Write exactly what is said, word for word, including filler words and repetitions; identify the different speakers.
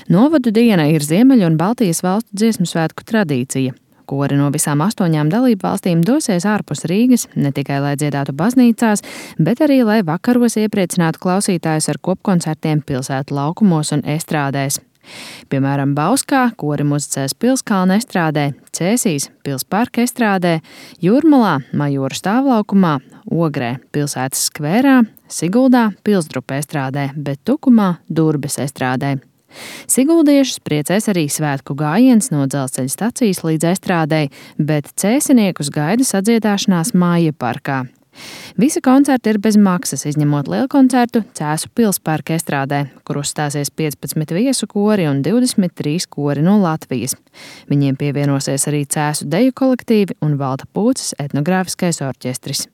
Speaker 1: Novadu diena ir Ziemeļu un Baltijas valstu dziesmu svētku tradīcija. Kori no visām astoņām dalību valstīm dosies ārpus Rīgas, ne tikai lai dziedātu baznīcās, bet arī lai vakaros iepriecinātu klausītājus ar kopkoncertiem pilsētu laukumos un estrādēs. Piemēram, Bauskā kori muzicēs Pilskalna estrādē, Cēsīs Pilsparka estrādē, Jūrmalā Majora stāvlaukumā, Ogrē pilsētas skvērā, Siguldā Pilsdrupa estrādē, bet Tukumā Durbes estrādē. Siguldiešus priecēs arī svētku gājiens no dzelzceļa stacijas līdz estrādei, bet cēsiniekus gaida sadziedāšanās Māja parkā. Visi koncerti ir bez maksas, izņemot lielkoncertu Cēsu Pilsparka estrādē, kur uzstāsies piecpadsmit viesu kori un divdesmit trīs kori no Latvijas. Viņiem pievienosies arī Cēsu deju kolektīvi un Valta Pūces etnogrāfiskais orķestris.